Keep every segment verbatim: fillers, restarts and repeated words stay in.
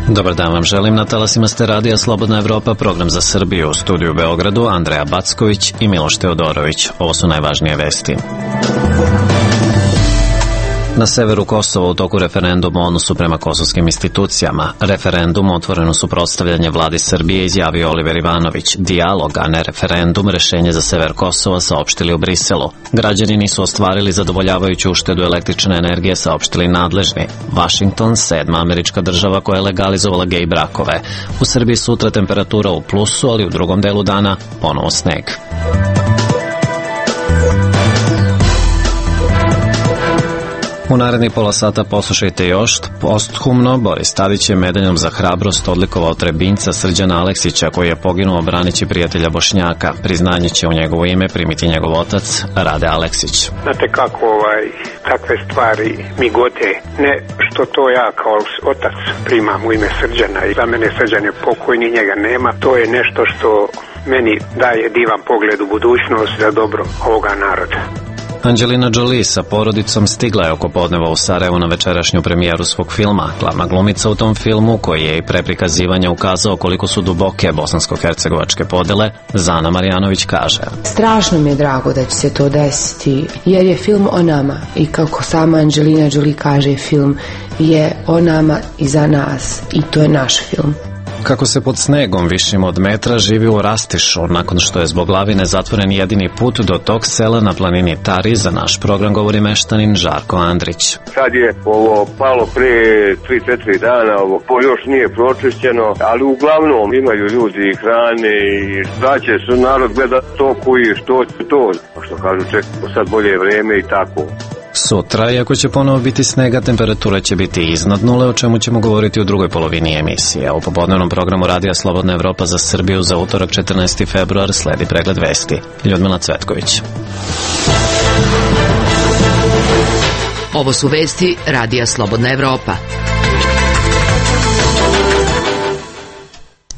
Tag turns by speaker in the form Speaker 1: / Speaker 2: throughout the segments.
Speaker 1: Dobar dan vam želim, na talasima ste radija Slobodna Evropa, program za Srbiju, u studiju u Beogradu Andreja Backović i Miloš Teodorović. Ovo su najvažnije vesti. Na severu Kosova u toku referenduma o odnosu prema kosovskim institucijama. Referendum otvoreno suprotstavljanje vladi Srbije izjavio Oliver Ivanović. Dijalog, a ne referendum, rešenje za sever Kosova saopštili u Briselu. Građani nisu ostvarili zadovoljavajuću uštedu električne energije, saopštili nadležni. Vašington, sedma američka država koja je legalizovala gej brakove. U Srbiji sutra temperatura u plusu, ali u drugom delu dana ponovo sneg. U narednih pola sata poslušajte još. Posthumno Boris Tadić je medaljom za hrabrost odlikovao Trebinjca Srđana Aleksića, koji je poginuo branići prijatelja Bošnjaka. Priznanje će u njegovo ime primiti njegov otac Rade Aleksić.
Speaker 2: Znate kako ovaj, takve stvari mi gote, ne što to ja kao otac primam u ime Srđana i za mene Srđan je pokojni, njega nema. To je nešto što meni daje divan pogled u budućnost za dobro ovoga naroda.
Speaker 1: Angelina Jolie sa porodicom stigla je oko podneva u Sarajevo na večerašnju premijeru svog filma. Glavna glumica u tom filmu, koji je i pre prikazivanja ukazao koliko su duboke bosansko-hercegovačke podele, Zana Marjanović kaže:
Speaker 3: strašno mi je drago da će se to desiti, jer je film o nama i kako sama Angelina Jolie kaže, film je o nama i za nas i to je naš film.
Speaker 1: Kako se pod snegom višim od metra živi u Rastišu, nakon što je zbog lavine zatvoren jedini put do tog sela na planini Tari, za naš program govori meštanin Žarko Andrić.
Speaker 4: Sad je ovo palo pre tri četiri dana, ovo još nije pročišćeno, ali uglavnom imaju ljudi hrane i da će su narod gleda to koji što će to, što kažu čekamo sad bolje vreme i tako.
Speaker 1: Sutra, iako će ponovo biti snega, temperatura će biti iznad nule, o čemu ćemo govoriti u drugoj polovini emisije. U popodnevnom programu Radija Slobodna Evropa za Srbiju za utorak četrnaesti februar sledi pregled vesti. Ljudmila Cvetković.
Speaker 5: Ovo su vesti Radija Slobodna Evropa.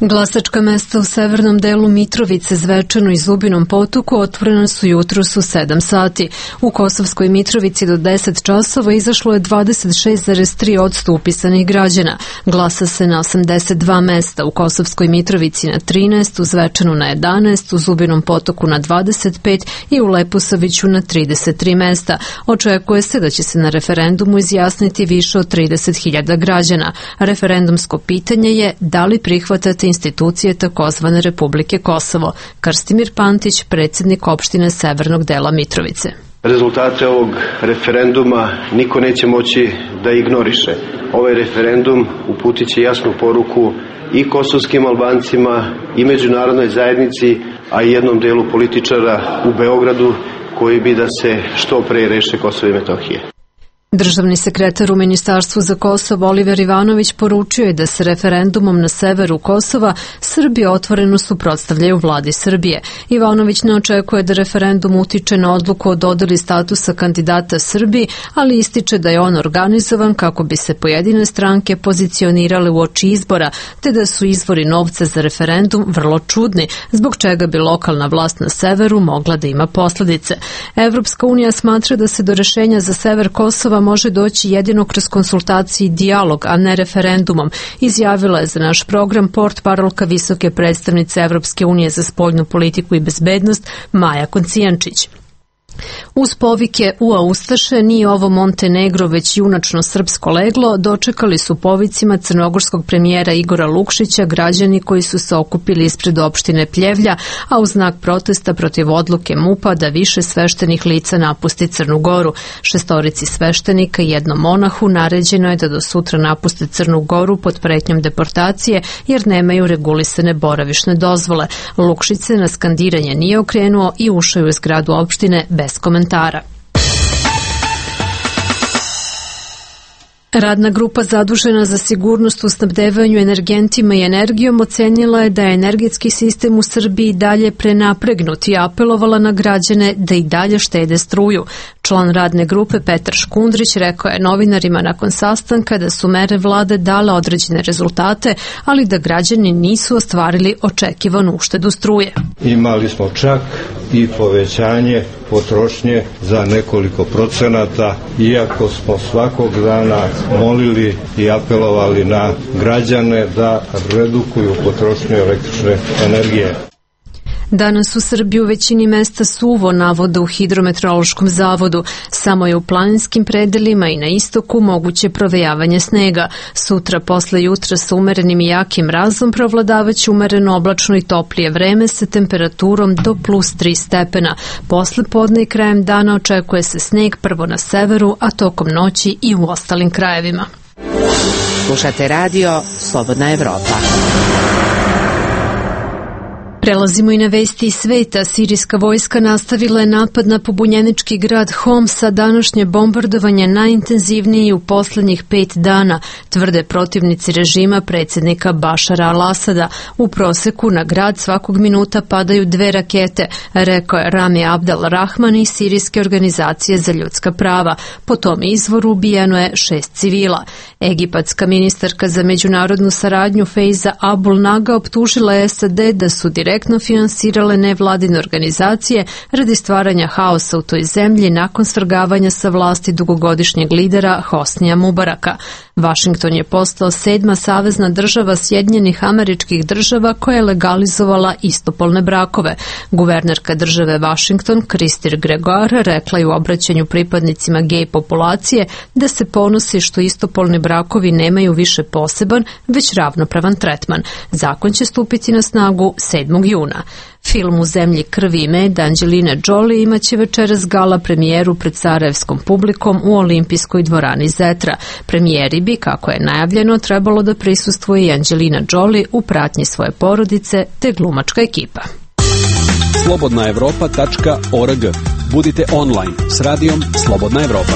Speaker 6: Glasačka mesta u severnom delu Mitrovice, Zvečanu i Zubinom Potoku otvorena su jutros u sedam sati. U Kosovskoj Mitrovici do deset časova izašlo je dvadeset šest zarez tri posto upisanih građana. Glasa se na osamdeset dva mesta, u Kosovskoj Mitrovici na trinaest, u Zvečanu na jedanaest, u Zubinom Potoku na dvadeset pet i u Leposaviću na trideset tri mesta. Očekuje se da će se na referendumu izjasniti više od trideset hiljada građana. Referendumsko pitanje je da li prihvatate institucije takozvane Republike Kosovo. Krstimir Pantić, predsjednik opštine severnog dela Mitrovice.
Speaker 7: Rezultate ovog referenduma niko neće moći da ignoriše. Ovaj referendum uputit će jasnu poruku i kosovskim Albancima i međunarodnoj zajednici, a i jednom delu političara u Beogradu koji bi da se što pre reše Kosovo i Metohije.
Speaker 6: Državni sekretar u Ministarstvu za Kosovo Oliver Ivanović poručio je da se referendumom na severu Kosova Srbi otvoreno suprotstavljaju vladi Srbije. Ivanović ne očekuje da referendum utiče na odluku o dodeli statusa kandidata Srbiji, ali ističe da je on organizovan kako bi se pojedine stranke pozicionirale u oči izbora, te da su izvori novca za referendum vrlo čudni, zbog čega bi lokalna vlast na severu mogla da ima posledice. Evropska unija smatra da se do rešenja za sever Kosova može doći jedino kroz konsultacije i dijalog, a ne referendumom, izjavila je za naš program portparolka visoke predstavnice Evropske unije za spoljnu politiku i bezbednost Maja Koncijančić. Uz povike "Ua Ustaše, nije ovo Montenegro, već junačno srpsko leglo", dočekali su povicima crnogorskog premijera Igora Lukšića građani koji su se okupili ispred opštine Pljevlja, a u znak protesta protiv odluke MUP-a da više sveštenih lica napusti Crnu Goru. Šestorici sveštenika i jednom monahu naređeno je da do sutra napuste Crnu Goru pod pretnjom deportacije jer nemaju regulisane boravišne dozvole. Lukšić se na skandiranje nije okrenuo i ušao je u zgradu opštine bez komentara. Radna grupa zadužena za sigurnost u snabdevanju energentima i energijom ocenila je da je energetski sistem u Srbiji dalje prenapregnut i apelovala na građane da i dalje štede struju. Član radne grupe Petar Škundrić rekao je novinarima nakon sastanka da su mere vlade dale određene rezultate, ali da građani nisu ostvarili očekivanu uštedu struje.
Speaker 8: Imali smo čak i povećanje potrošnje za nekoliko procenata, iako smo svakog dana molili i apelovali na građane da redukuju potrošnju električne energije.
Speaker 6: Danas u Srbiji u većini mesta suvo, navode u Hidrometeorološkom zavodu. Samo je u planinskim predelima i na istoku moguće provejavanje snega. Sutra posle jutra sa umerenim i jakim mrazom provladavaće umereno oblačno i toplije vreme sa temperaturom do plus tri stepena. Posle podne i krajem dana očekuje se sneg prvo na severu, a tokom noći i u ostalim krajevima.
Speaker 5: Slušate radio Slobodna Evropa.
Speaker 6: Prelazimo i na vesti iz sveta. Sirijska vojska nastavila je napad na pobunjenički grad Homs, a današnje bombardovanje najintenzivnije u poslednjih pet dana, tvrde protivnici režima predsjednika Bašara al-Asada. U proseku na grad svakog minuta padaju dve rakete, rekao je Rami Abdel Rahman iz Sirijske organizacije za ljudska prava. Po tom izvoru ubijeno je šest civila. Egipatska ministarka za međunarodnu saradnju Feiza Abul Naga optužila je S A D da su direktno finansirale nevladine organizacije radi stvaranja haosa u toj zemlji nakon svrgavanja sa vlasti dugogodišnjeg lidera Hosnija Mubaraka. Vašington je postao sedma savezna država Sjedinjenih Američkih Država koja je legalizovala istopolne brakove. Guvernerka države Vašington, Kristir Gregoire, rekla je u obraćanju pripadnicima gej populacije da se ponosi što istopolni brakovi nemaju više poseban, već ravnopravan tretman. Zakon će stupiti na snagu sedmog juna. Film U zemlji krvi i meda Angelina Jolie imaće večeras gala premijeru pred sarajevskom publikom u olimpijskoj dvorani Zetra. Premijeri bi, kako je najavljeno, trebalo da prisustvuje i Angelina Jolie u pratnji svoje porodice te glumačka ekipa.
Speaker 9: slobodna evropa tačka org. Budite online s radijom Slobodna Evropa.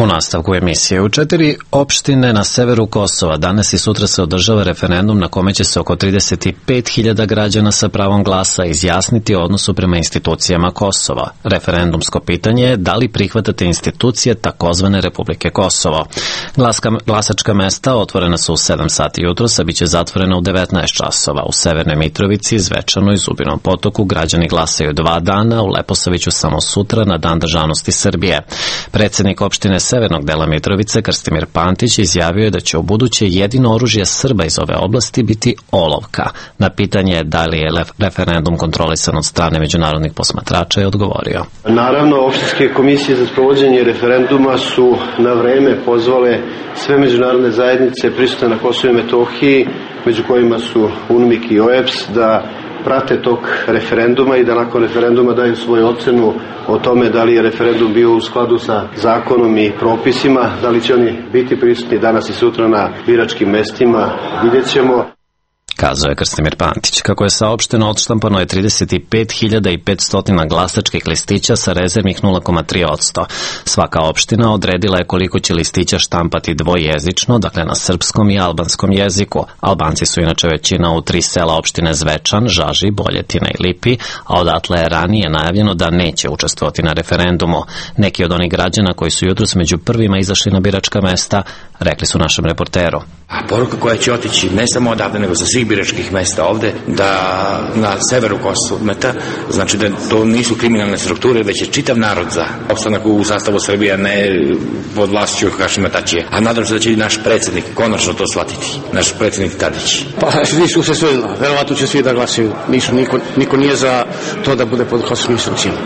Speaker 1: U nastavku emisije, u četiri opštine na severu Kosova danas i sutra se održava referendum na kome će se oko trideset pet hiljada građana sa pravom glasa izjasniti o odnosu prema institucijama Kosova. Referendumsko pitanje je da li prihvatate institucije takozvane Republike Kosovo. Glaska, glasačka mesta otvorena su u sedam sati jutros, a bit će zatvorena u devetnaest časova. U Severnoj Mitrovici, Zvečanu i Zubinom Potoku građani glasaju dva dana, u Leposaviću samo sutra na Dan državnosti Srbije. Predsjednik opštine severnog dela Mitrovice, Krstimir Pantić, izjavio je da će u buduće jedino oružje Srba iz ove oblasti biti olovka. Na pitanje da li je referendum kontrolisan od strane međunarodnih posmatrača je odgovorio.
Speaker 7: Naravno, opštinske komisije za sprovođenje referenduma su na vreme pozvale sve međunarodne zajednice prisutne na Kosovu i Metohiji, među kojima su UNMIK i O E B S, da prate tog referenduma i da nakon referenduma daju svoju ocenu o tome da li je referendum bio u skladu sa zakonom i propisima, da li će oni biti prisutni danas i sutra na biračkim mestima, vidjet ćemo.
Speaker 1: Kazao je Krstimir Pantić. Kako je saopšteno, odštampano je trideset pet hiljada petsto glasačkih listića sa rezervnih nula zarez tri posto. Svaka opština odredila je koliko će listića štampati dvojezično, dakle na srpskom i albanskom jeziku. Albanci su inače većina u tri sela opštine Zvečan, Žaži, Boljetina i Lipi, a odatle je ranije najavljeno da neće učestvovati na referendumu. Neki od onih građana koji su jutros među prvima izašli na biračka mesta rekli su našem reporteru.
Speaker 10: A poruka koja će otići ne samo odavde, nego sa svih biračkih mesta ovde, da na severu Kosmeta, znači da to nisu kriminalne strukture, već je čitav narod za opstanak u sastavu Srbije, ne pod vlašću Hašima Tačija. A nadam se da će i naš predsjednik konačno to shvatiti, naš predsjednik Tadić.
Speaker 11: Pa nisu se sve, verovatno će svi da glasaju, nisu, niko, niko nije za to da bude pod kosovskim instrukcijama.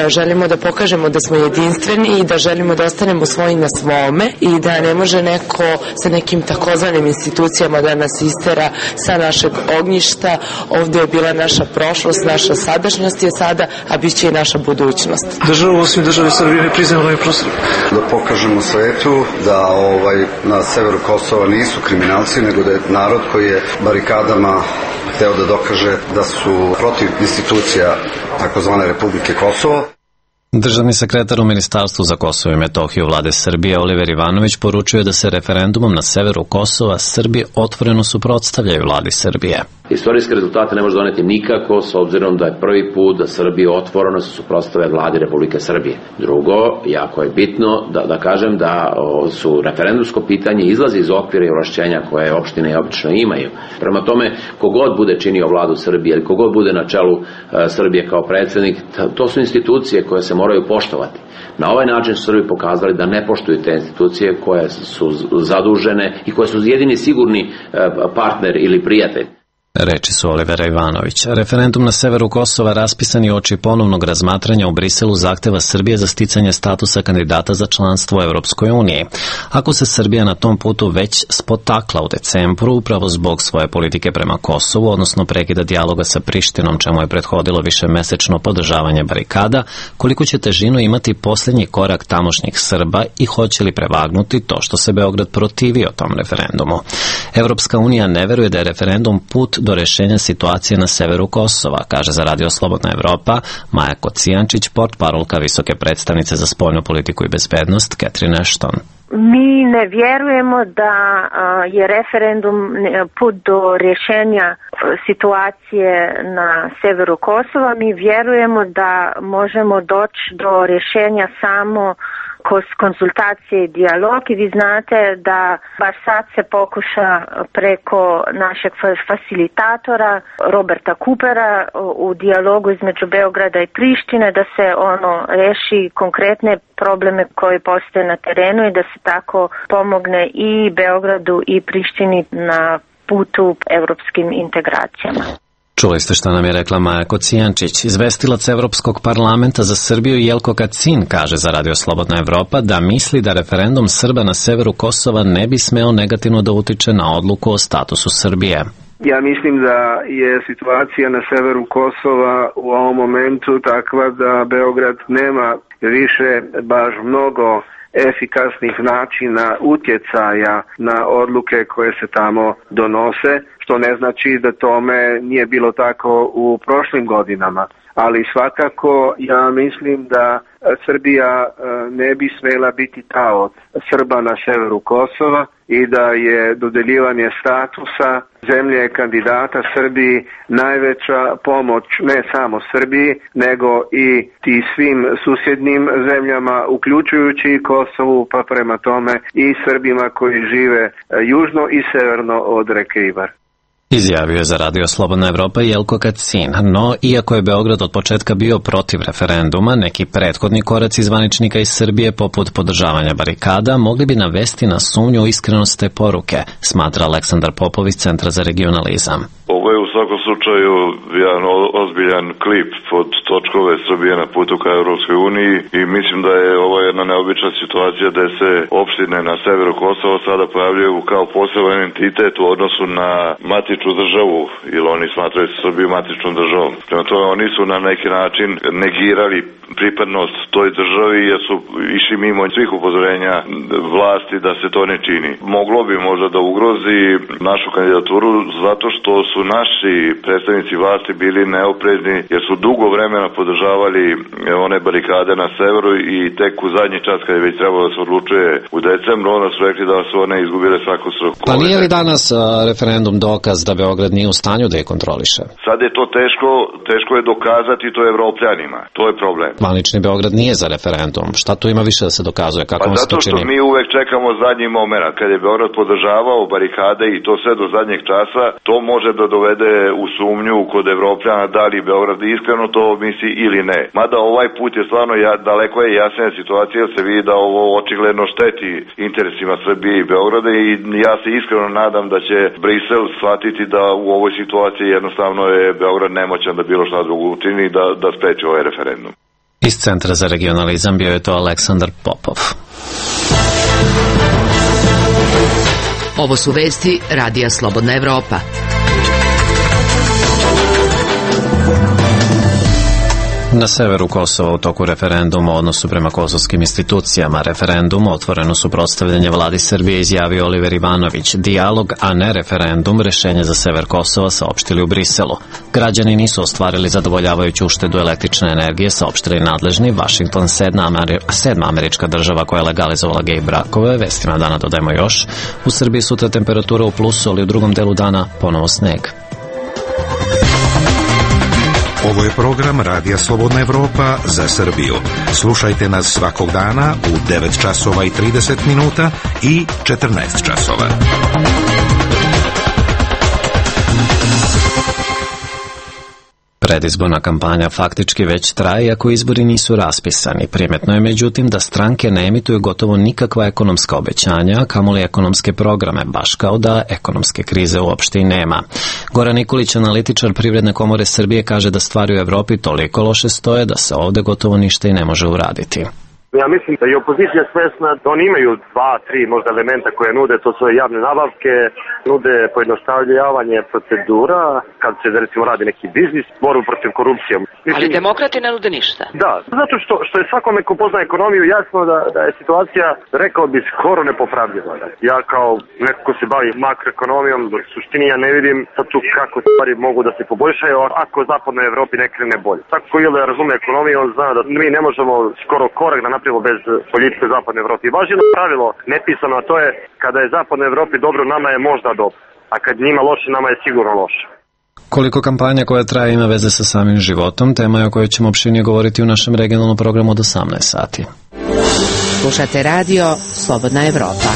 Speaker 12: Želimo da pokažemo da smo jedinstveni i da želimo da ostanemo svoji na svome i da ne može neko sa nekim takozvanim institucijama da nas istera sa našeg ognjišta. Ovde je bila naša prošlost, naša sadašnjost je sada, a bit će i naša budućnost.
Speaker 13: Država osim države Srbije ne priznaje ovaj prostor.
Speaker 14: Da pokažemo svetu da ovaj, na severu Kosova nisu kriminalci, nego da je narod koji je barikadama hteo da dokaže da su protiv institucija takozvane Republike Kosovo.
Speaker 1: Državni sekretar u Ministarstvu za Kosovo i Metohiju vlade Srbije Oliver Ivanović poručuje da se referendumom na severu Kosova Srbi otvoreno suprotstavljaju vladi Srbije.
Speaker 15: Istorijske rezultate ne može doneti nikako, s obzirom da je prvi put da Srbija otvoreno se suprotstave vladi Republike Srbije. Drugo, jako je bitno da, da kažem da o, su referendumsko pitanje izlazi iz okvira i ovlašćenja koje opštine obično imaju. Prema tome, kogod bude činio vladu Srbije ili kogod bude na čelu uh, Srbije kao predsjednik, to su institucije koje se moraju poštovati. Na ovaj način su Srbi pokazali da ne poštuju te institucije koje su zadužene i koje su jedini sigurni uh, partner ili prijatelj.
Speaker 1: Reči su Olivera Ivanović. Referendum na severu Kosova raspisan je uoči ponovnog razmatranja u Briselu zahteva Srbije za sticanje statusa kandidata za članstvo u Evropskoj uniji. Ako se Srbija na tom putu već spotakla u decembru upravo zbog svoje politike prema Kosovu, odnosno prekida dijaloga sa Prištinom, čemu je prethodilo višemesečno podržavanje barikada, koliko će težinu imati posljednji korak tamošnjih Srba i hoće li prevagnuti to što se Beograd protivio tom referendumu? Evropska unija ne veruje da je referendum put do rešenja situacije na severu Kosova, kaže za Radio Slobodna Evropa Maja Kocijančić, portparolka visoke predstavnice za spoljnu politiku i bezbednost Catherine Ashton.
Speaker 16: Mi ne vjerujemo da je referendum put do rješenja situacije na severu Kosova. Mi vjerujemo da možemo doći do rješenja samo kroz konzultacije i dijalog i vi znate da baš sad se pokuša preko našeg facilitatora Roberta Coopera u dijalogu između Beograda i Prištine da se ono reši konkretne probleme koje postoje na terenu i da se tako pomogne i Beogradu i Prištini na putu evropskim integracijama.
Speaker 1: Čuli ste što nam je rekla Maja Kocijančić. Izvestilac Evropskog parlamenta za Srbiju Jelko Kacin kaže za Radio Slobodna Evropa da misli da referendum Srba na severu Kosova ne bi smeo negativno da utiče na odluku o statusu Srbije.
Speaker 17: Ja mislim da je situacija na severu Kosova u ovom momentu takva da Beograd nema više baš mnogo efikasnih načina utjecaja na odluke koje se tamo donose, što ne znači da tome nije bilo tako u prošlim godinama. Ali svakako ja mislim da Srbija ne bi smela biti taoc Srba na severu Kosova i da je dodeljivanje statusa zemlje kandidata Srbiji najveća pomoć ne samo Srbiji, nego i ti svim susjednim zemljama, uključujući i Kosovu, pa prema tome i Srbima koji žive južno i severno od reke Ibar.
Speaker 1: Izjavio je za Radio Slobodna Evropa Jelko Kacin, no iako je Beograd od početka bio protiv referenduma, neki prethodni koraci zvaničnika iz Srbije poput podržavanja barikada mogli bi navesti na sumnju u iskrenost te poruke, smatra Aleksandar Popov iz Centra za regionalizam.
Speaker 18: Ovo je u svakom slučaju jedan ozbiljan klip pod točkove Srbije na putu ka Evropskoj uniji i mislim da je ovo jedna neobična situacija da se opštine na severu Kosova sada pojavljaju kao poseban entitet u odnosu na matičnu državu, ili oni smatraju Srbiju matičnom državom. Prema tome oni su na neki način negirali pripadnost toj državi jer su išli mimo svih upozorenja vlasti da se to ne čini. Moglo bi možda da ugrozi našu kandidaturu zato što su naši predstavnici vlasti bili neoprezni jer su dugo vremena podržavali one barikade na severu i tek u zadnji čas kad je već trebalo da se odlučuje u decembru, onda su rekli da su one izgubile svaku svrhu.
Speaker 1: Pa nije li danas uh, referendum dokaz da Beograd nije u stanju da je kontroliše?
Speaker 18: Sad je to teško, teško je dokazati to Evropljanima. To je problem.
Speaker 1: Zvanični Beograd nije za referendum. Šta tu ima više da se dokazuje? Kako
Speaker 18: pa zato što mi uvek čekamo zadnji moment. Kad je Beograd podržavao barikade i to sve do zadnjeg časa, to može da dovede u sumnju kod Evropljana da li Beograd iskreno to misli ili ne. Mada ovaj put je stvarno ja, daleko je jasnija situacija jer se vidi da ovo očigledno šteti interesima Srbije i Beograda i ja se iskreno nadam da će Brisel shvatiti da u ovoj situaciji jednostavno je Beograd nemoćan da bilo šta drugo učini da, da spreči ovaj referendum.
Speaker 1: Iz Centra za regionalizam bio je to Aleksandar Popov.
Speaker 5: Ovo su vesti Radija Slobodna Evropa.
Speaker 1: Na severu Kosova u toku referenduma o odnosu prema kosovskim institucijama referendum otvoreno suprotstavljanje vladi Srbije izjavio Oliver Ivanović. Dijalog, a ne referendum, rešenje za sever Kosova saopštili u Briselu. Građani nisu ostvarili zadovoljavajuću uštedu električne energije, saopštili nadležni. Washington, sedma, Ameri sedma američka država koja je legalizovala gej brakove. Vestima dana dodajemo još. U Srbiji sutra temperatura u plusu, ali u drugom delu dana ponovo sneg.
Speaker 19: Ovo je program Radija Slobodna Evropa za Srbiju. Slušajte nas svakog dana u devet časova i trideset minuta i četrnaest časova.
Speaker 1: Predizborna kampanja faktički već traje, iako izbori nisu raspisani. Primetno je međutim da stranke ne emituju gotovo nikakva ekonomska obećanja, a kamoli ekonomske programe, baš kao da ekonomske krize uopšte i nema. Goran Nikolić, analitičar Privredne komore Srbije, kaže da stvari u Evropi toliko loše stoje da se ovde gotovo ništa i ne može uraditi.
Speaker 20: Ja mislim da je opozicija svesna da oni imaju dva, tri možda elementa koje nude, to su javne nabavke, nude pojednostavljavanje procedura, kad se recimo radi neki biznis, borbu protiv korupcije.
Speaker 21: Mislim, ali demokrati ne nude ništa.
Speaker 20: Da, zato što, što je svakome ko pozna ekonomiju jasno da, da je situacija, rekao bi, skoro nepopravljiva. Ja kao neko ko se bavi makroekonomijom, u suštini ja ne vidim sad tu kako stvari mogu da se poboljšaju ako u zapadnoj Evropi ne krene bolje. Tako ko je da razume ekonomiju, on zna da mi ne možemo skoro korak da napravimo bez politike u zapadnoj Evropi. Baš jedno pravilo nepisano, a to je kada je zapadnoj Evropi dobro, nama je možda dobro, a kad njima loše, nama je sigurno loše.
Speaker 1: Koliko kampanja koja traje ima veze sa samim životom, tema je o kojoj ćemo opširnije govoriti u našem regionalnom programu od osamnaest sati.
Speaker 5: Slušate radio Slobodna Evropa.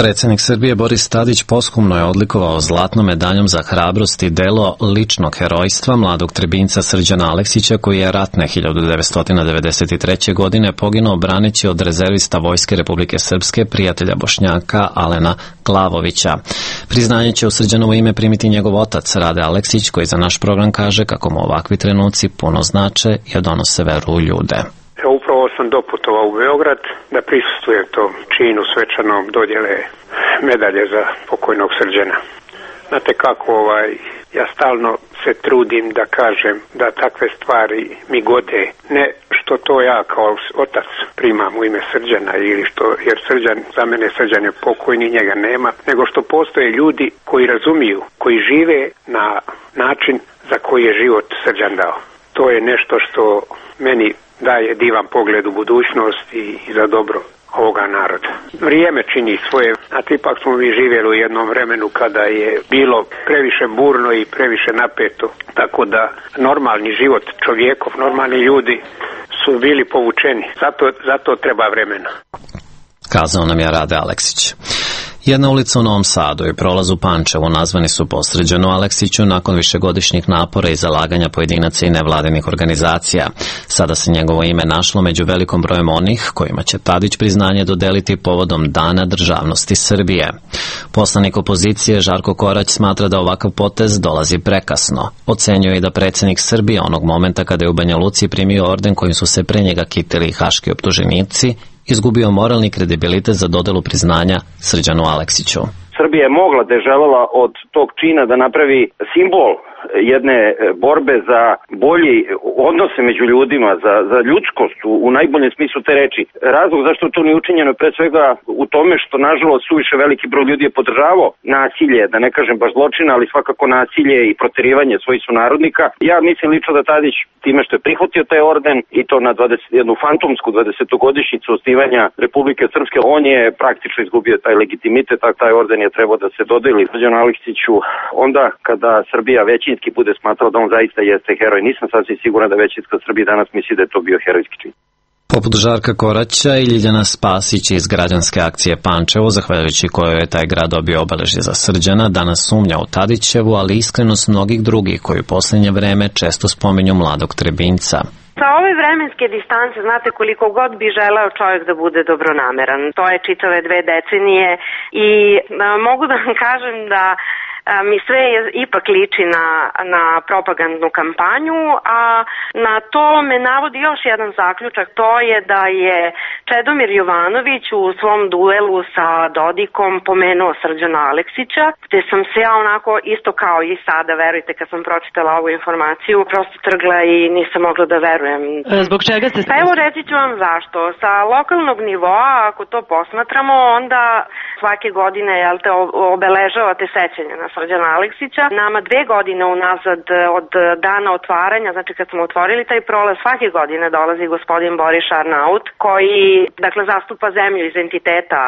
Speaker 1: Predsjednik Srbije Boris Tadić posthumno je odlikovao zlatnom medaljom za hrabrost i delo ličnog herojstva mladog Trebinjca Srđana Aleksića, koji je ratne hiljadu devetsto devedeset treće. godine poginuo braneći od rezervista Vojske Republike Srpske, prijatelja Bošnjaka Alena Glavovića. Priznanje će u Srđanovo ime primiti njegov otac Rade Aleksić, koji za naš program kaže kako mu ovakvi trenuci puno znače i donose veru u ljude.
Speaker 2: Upravo sam doputovao u Beograd da prisustvujem tom činu svečanom dodjele medalje za pokojnog Srđana. Znate kako, ovaj, ja stalno se trudim da kažem da takve stvari mi gode, ne što to ja kao otac primam u ime Srđana ili što, jer Srđan, za mene Srđan je pokojni, njega nema, nego što postoje ljudi koji razumiju, koji žive na način za koji je život Srđan dao. To je nešto što meni daje divan pogled u budućnost i, i za dobro ovoga naroda. Vrijeme čini svoje, a ipak smo mi živjeli u jednom vremenu kada je bilo previše burno i previše napeto, tako da normalni život čovjekov, normalni ljudi su bili povučeni. Zato, zato treba vremena.
Speaker 1: Kazao nam je Rade Aleksić. Jedna ulica u Novom Sadu i prolaz u Pančevu nazvani su po Srđanu Aleksiću nakon višegodišnjih napora i zalaganja pojedinaca i nevladinih organizacija. Sada se njegovo ime našlo među velikom brojem onih kojima će Tadić priznanje dodeliti povodom Dana državnosti Srbije. Poslanik opozicije Žarko Korać smatra da ovakav potez dolazi prekasno. Ocenjuje i da predsjednik Srbije onog momenta kada je u Banja Luci primio orden kojim su se pre njega kitili haški optuženici, izgubio moralni kredibilitet za dodelu priznanja Srđanu Aleksiću.
Speaker 20: Srbija je mogla da je želela od tog čina da napravi simbol jedne borbe za bolji odnose među ljudima, za, za ljudskost u, u najboljem smislu te reči. Razlog zašto to nije učinjeno je pre svega u tome što nažalost suviše veliki broj ljudi je podržavao nasilje, da ne kažem baš zločina, ali svakako nasilje i proterivanje svojih sunarodnika. Ja mislim lično da Tadić time što je prihvatio taj orden i to na dvadeset jednu fantomsku dvadesetogodišnjicu osnivanja Republike Srpske, on je praktično izgubio taj legitimitet, a taj orden je trebao da se dodeli Srđanu Aleksiću onda kada Srbija većinski bude smatrao da on zaista jeste heroj. Nisam sasvim siguran da većinska Srbija danas misli da je to bio herojski čin.
Speaker 1: Poput Žarka Koraća i Ljiljana Spasić iz građanske akcije Pančevo, zahvaljujući kojoj je taj grad dobio obeležje za Srđana, danas sumnja u Tadićevu, ali iskrenost mnogih drugih koji u posljednje vreme često spominju mladog Trebinjca.
Speaker 22: Sa ove vremenske distance, znate, koliko god bi želeo čovjek da bude dobronameran. To je čitave dve decenije i a, mogu da vam kažem da a, mi sve je, ipak liči na, na propagandnu kampanju, a na to me navodi još jedan zaključak, to je da je Čedomir Jovanović u svom duelu sa Dodikom pomenuo Srđana Aleksića, gde sam se ja onako isto kao i sada, verujte, kad sam pročitala ovu informaciju, prosto trgla i nisam mogla da verujem.
Speaker 21: Zbog čega ste...
Speaker 22: Pa evo reći ću vam zašto. Sa lokalnog nivoa, ako to posmatramo, onda svake godine, jel te, obeležavate sećanje na Srđana Aleksića. Nama dve godine unazad od dana otvaranja, znači kad smo otvorili taj prolaz, svake godine dolazi gospodin Boris Arnaut, koji, dakle, zastupa zemlju iz entiteta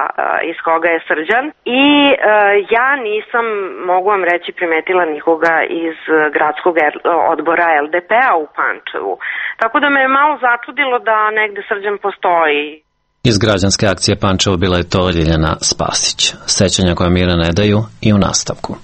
Speaker 22: iz koga je Srđan. I e, ja nisam, mogu vam reći, primetila nikoga iz gradskog odbora el de pe a u Pančevu. Tako da me je malo začudilo da negde Srđan postoji.
Speaker 1: Iz građanske akcije Pančevo bila je to Ljiljana Spasić. Sećanja koja mira ne daju i u nastavku.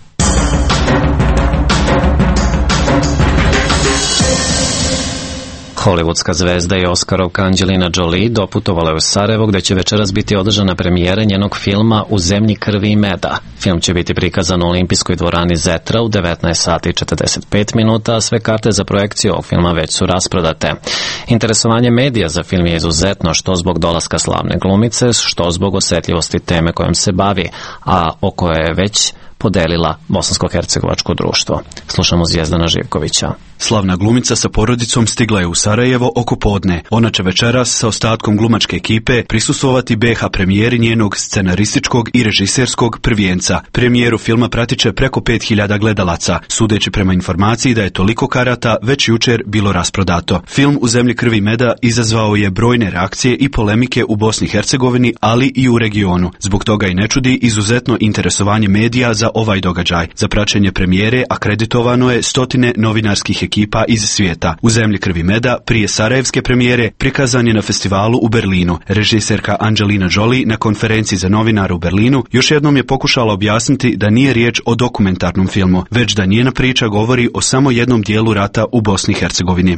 Speaker 1: Hollywoodska zvezda i Oskarovka Angelina Jolie doputovala je u Sarajevo, gde će večeras biti održana premijera njenog filma U zemlji krvi i meda. Film će biti prikazan u olimpijskoj dvorani Zetra u devetnaest sati i četrdeset pet minuta, a sve karte za projekciju ovog filma već su rasprodate. Interesovanje medija za film je izuzetno, što zbog dolaska slavne glumice, što zbog osetljivosti teme kojom se bavi, a o kojoj je već podelila bosansko-hercegovačko društvo. Slušamo Zvijezdana Živkovića.
Speaker 3: Slavna glumica sa porodicom stigla je u Sarajevo oko podne. Ona će večeras sa ostatkom glumačke ekipe prisustvovati be ha premijeri njenog scenarističkog i režiserskog prvijenca. Premijeru filma pratit će preko pet hiljada gledalaca, sudeći prema informaciji da je toliko karata već jučer bilo rasprodato. Film U zemlji krvi i meda izazvao je brojne reakcije i polemike u Bosni i Hercegovini, ali i u regionu. Zbog toga i ne čudi izuzetno interesovanje medija za ovaj događaj. Za praćenje premijere akreditovano je stotine novinarskih ekipa iz svijeta. U zemlji krvi i meda prije sarajevske premijere prikazan je na festivalu u Berlinu. Režiserka Angelina Jolie na konferenciji za novinare u Berlinu još jednom je pokušala objasniti da nije riječ o dokumentarnom filmu, već da njena priča govori o samo jednom dijelu rata u Bosni i Hercegovini.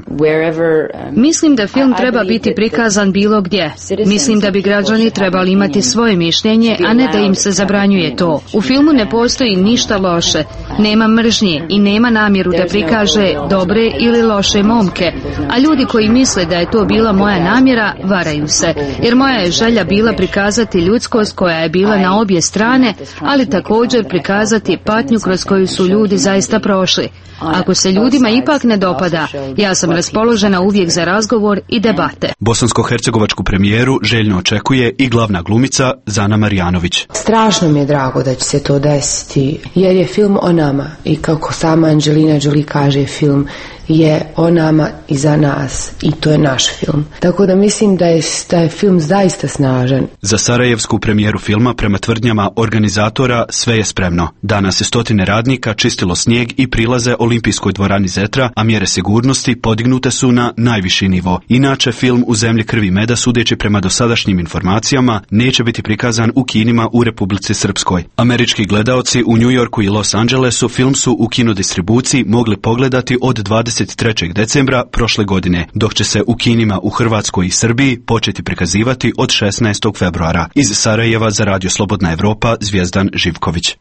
Speaker 4: Mislim da film treba biti prikazan bilo gdje. Mislim da bi građani trebali imati svoje mišljenje, a ne da im se zabranjuje to. U filmu ne postoji ništa loše, nema mržnje i nema namjeru da prikaže dobre ili loše momke, a ljudi koji misle da je to bila moja namjera, varaju se, jer moja je želja bila prikazati ljudskost koja je bila na obje strane, ali također prikazati patnju kroz koju su ljudi zaista prošli. Ako se ljudima ipak ne dopada, ja sam raspoložena uvijek za razgovor i debate.
Speaker 3: Bosansko-hercegovačku premijeru željno očekuje i glavna glumica Zana Marjanović.
Speaker 23: Strašno mi je drago da će se to desiti, jer je film o nama i kako sama Angelina Jolie kaže, film je o nama i za nas i to je naš film. Tako da mislim da je, da je film zaista snažan.
Speaker 3: Za sarajevsku premijeru filma, prema tvrdnjama organizatora, sve je spremno. Danas je stotine radnika čistilo snijeg i prilaze olimpijskoj dvorani Zetra, a mjere sigurnosti podignute su na najviši nivo. Inače, film U zemlji krvi i meda, sudeći prema dosadašnjim informacijama, neće biti prikazan u kinima u Republici Srpskoj. Američki gledaoci u New Yorku i Los Angelesu film su u kinodistribuciji mogli pogledati od dvadeset trećeg decembra prošle godine, dok će se u kinima u Hrvatskoj i Srbiji početi prikazivati od šesnaestog februara. Iz Sarajeva za Radio Slobodna Evropa, Zvijezdan Živković.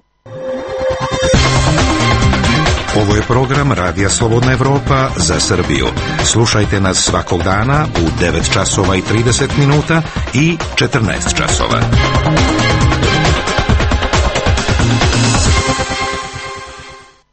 Speaker 19: Ovo je program Radija Slobodna Evropa za Srbiju. Slušajte nas svakog dana u devet časova i trideset minuta i četrnaest časova.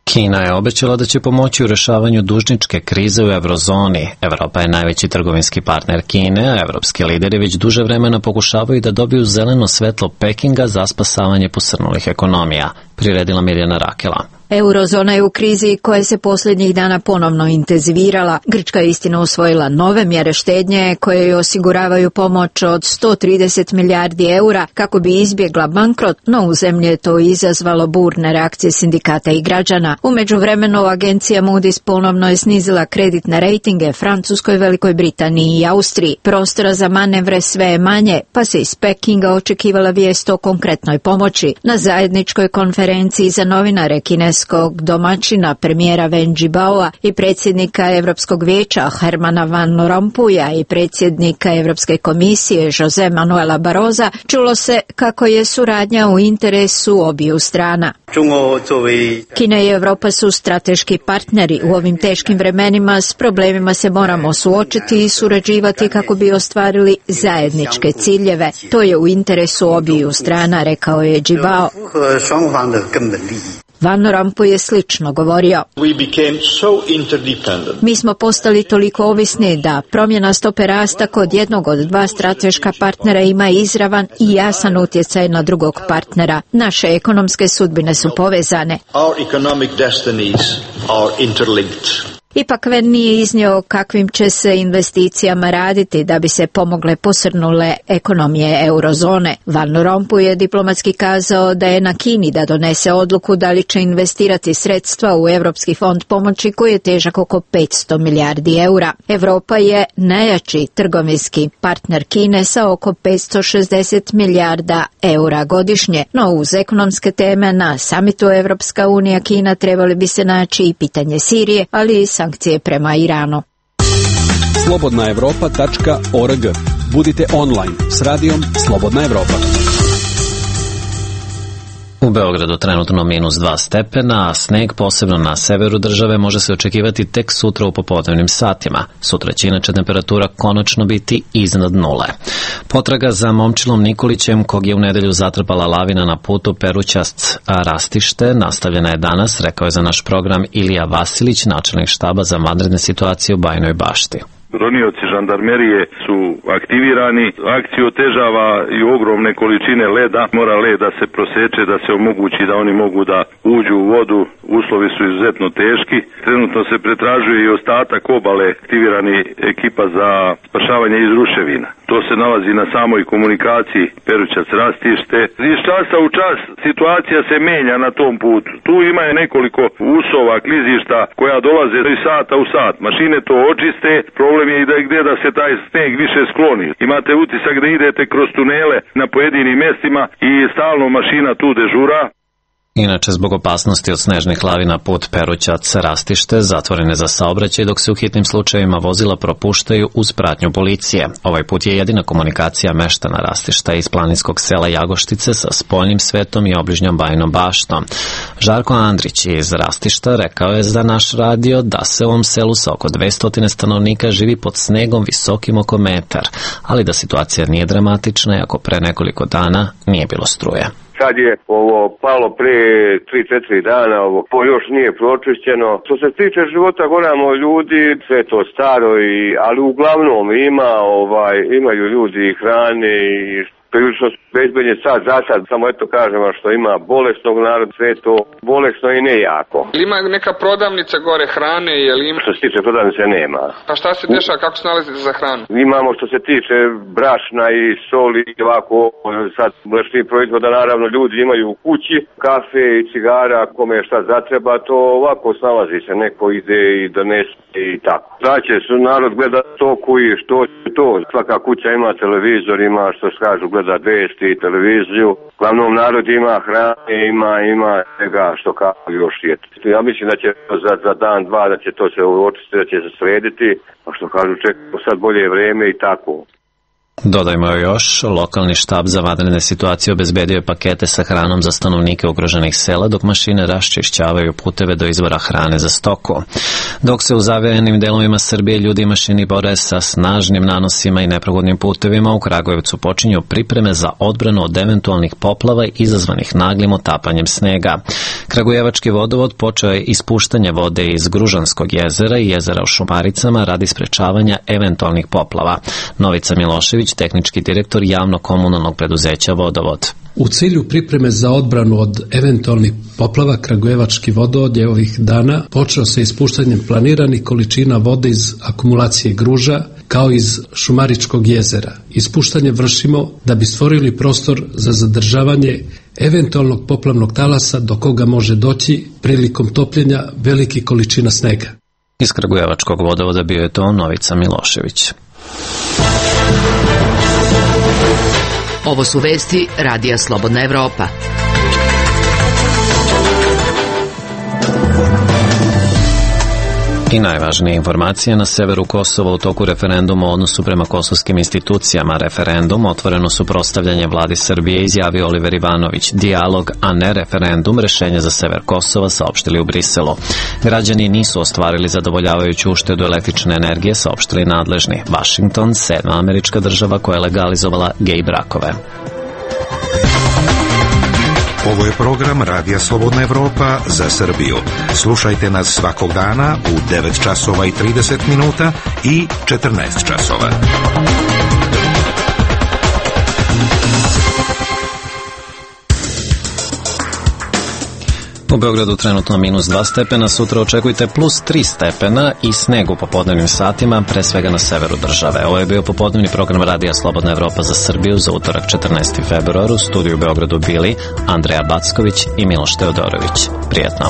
Speaker 1: Kina je obećala da će pomoći u rešavanju dužničke krize u eurozoni. Evropa je najveći trgovinski partner Kine, a evropski lideri već duže vremena pokušavaju da dobiju zeleno svetlo Pekinga za spasavanje posrnulih ekonomija, priredila Mirjana Rakela.
Speaker 24: Eurozona je u krizi koja se posljednjih dana ponovno intenzivirala. Grčka je istina usvojila nove mjere štednje koje joj osiguravaju pomoć od sto trideset milijardi eura kako bi izbjegla bankrot, no u zemlji je to izazvalo burne reakcije sindikata i građana. U međuvremenu agencija Moody's ponovno je snizila kreditne rejtinge Francuskoj, Velikoj Britaniji i Austriji. Prostora za manevre sve je manje, pa se iz Pekinga očekivala vijest o konkretnoj pomoći. Na zajedničkoj konferenciji za novinare kineskog domaćina premijera Wen Jiabaoa i predsjednika Europskog vijeća Hermana Van Rompuya i predsjednika Europske komisije Jose Manuela Barrosa čulo se kako je suradnja u interesu obiju strana. Kina i Europa su strateški partneri. U ovim teškim vremenima s problemima se moramo suočiti i surađivati kako bi ostvarili zajedničke ciljeve. To je u interesu obiju strana, rekao je Jiabao. Van Rompuy je slično govorio. Mi smo postali toliko ovisni da promjena stope rasta kod jednog od dva strateška partnera ima izravan i jasan utjecaj na drugog partnera. Naše ekonomske sudbine su povezane. Ipak Ven nije iznio kakvim će se investicijama raditi da bi se pomogle posrnule ekonomije eurozone. Van Rompuy je diplomatski kazao da je na Kini da donese odluku da li će investirati sredstva u Europski fond pomoći koji je težak oko petsto milijardi eura. Europa je najjači trgovinski partner Kine sa oko petsto šezdeset milijarda eura godišnje, no uz ekonomske teme na samitu Evropska unija Kina trebali bi se naći i pitanje Sirije, ali i sankcije prema Iranu.
Speaker 6: slobodna evropa tačka org. Budite online s radijom Slobodna Evropa.
Speaker 1: U Beogradu trenutno minus dva stepena, a sneg posebno na severu države može se očekivati tek sutra u popodnevnim satima. Sutra će inače temperatura konačno biti iznad nule. Potraga za momčilom Nikolićem, kog je u nedelju zatrpala lavina na putu Perućac-Rastište, nastavljena je danas, rekao je za naš program Ilija Vasilić, načelnik štaba za vanredne situacije u Bajinoj Bašti.
Speaker 7: Ronioci žandarmerije su aktivirani, akciju otežava i ogromne količine leda, mora led da se proseče, da se omogući da oni mogu da uđu u vodu, uslovi su izuzetno teški. Trenutno se pretražuje i ostatak obale, aktivirani ekipa za spašavanje iz ruševina. To se nalazi na samoj komunikaciji Perućac-Rastište. Iz časa u čas situacija se menja na tom putu. Tu ima je nekoliko usova, klizišta koja dolaze iz sata u sat. Mašine to očiste, problem je i da gdje da se taj sneg više skloni. Imate utisak da idete kroz tunele na pojedinim mjestima i stalno mašina tu dežura.
Speaker 1: Inače, zbog opasnosti od snežnih lavina put Perućac-Rastište zatvoren je za saobraćaj, dok se u hitnim slučajevima vozila propuštaju uz pratnju policije. Ovaj put je jedina komunikacija meštana Rastišta iz planinskog sela Jagoštice sa spoljnim svetom i obližnjom Bajnom Baštom. Žarko Andrić iz Rastišta rekao je za naš radio da se u ovom selu sa oko dvesta stanovnika živi pod snegom visokim oko metar, ali da situacija nije dramatična i ako pre nekoliko dana nije bilo struje.
Speaker 8: Sad je ovo palo pre tri četiri dana, ovo to još nije pročišćeno. Što se tiče života goramo ljudi, sve to staro, i, ali uglavnom ima, ovaj, imaju ljudi i hrane i prilično bezbednje sad za sad, samo eto kažem što ima bolesnog naroda, sve to bolesno i ne jako.
Speaker 9: Ima neka prodavnica gore hrane, je li ima?
Speaker 8: Što se tiče prodavnice nema.
Speaker 9: A šta se dešava, kako se nalazite za hranu?
Speaker 8: Imamo što se tiče brašna i soli i ovako, sad mlečnih proizvoda, naravno ljudi imaju u kući, kafe i cigara, kome šta zatreba, to ovako snalazi se, neko ide i donese i tako. Znači su narod gleda toku i što to, svaka kuća ima televizor, ima što se kažu gleda vesti i televiziju. Glavnom narod ima hrane, ima, ima svega što kao još je. Ja mislim da će za, za dan, dva, da će to se očistiti, da će se srediti, a što kažu čekamo sad bolje vreme i tako.
Speaker 1: Dodajmo još, lokalni štab za vanredne situacije obezbedio je pakete sa hranom za stanovnike ugroženih sela, dok mašine raščišćavaju puteve do izvora hrane za stoku. Dok se u zavijenim delovima Srbije ljudi i mašini bore sa snažnim nanosima i neprohodnim putevima, u Kragujevcu počinju pripreme za odbranu od eventualnih poplava izazvanih naglim otapanjem snega. Kragujevački vodovod počeo je ispuštanje vode iz Gružanskog jezera i jezera u Šumaricama radi sprečavanja eventualnih poplava. Novica Milošević, tehnički direktor javno-komunalnog preduzeća Vodovod.
Speaker 25: U cilju pripreme za odbranu od eventualnih poplava, Kragujevački vodovod je ovih dana počeo sa ispuštanjem planiranih količina vode iz akumulacije Gruža, kao iz Šumaričkog jezera. Ispuštanje vršimo da bi stvorili prostor za zadržavanje eventualnog poplavnog talasa do koga može doći prilikom topljenja velikih količina snega.
Speaker 1: Iz Kragujevačkog vodovoda bio je to Novica Milošević.
Speaker 5: Ovo su vesti Radija Slobodna Evropa.
Speaker 1: I najvažnije informacije na severu Kosova u toku referenduma o odnosu prema kosovskim institucijama. Referendum otvoreno suprotstavljanje vladi Srbije izjavio Oliver Ivanović. Dijalog, a ne referendum, rešenje za sever Kosova, saopštili u Briselu. Građani nisu ostvarili zadovoljavajuću uštedu električne energije, saopštili nadležni. Washington, sedma američka država koja je legalizovala gej brakove.
Speaker 19: Ovo je program Radija Slobodna Evropa za Srbiju. Slušajte nas svakog dana u devet časova i trideset minuta i četrnaest časova.
Speaker 1: U Beogradu trenutno minus dva stepena, sutra očekujte plus tri stepena i sneg u popodnevnim satima, pre svega na severu države. Ovo je bio popodnevni program Radija Slobodna Evropa za Srbiju za utorak četrnaesti februar. U studiju u Beogradu bili Andreja Backović i Miloš Teodorović. Prijetno.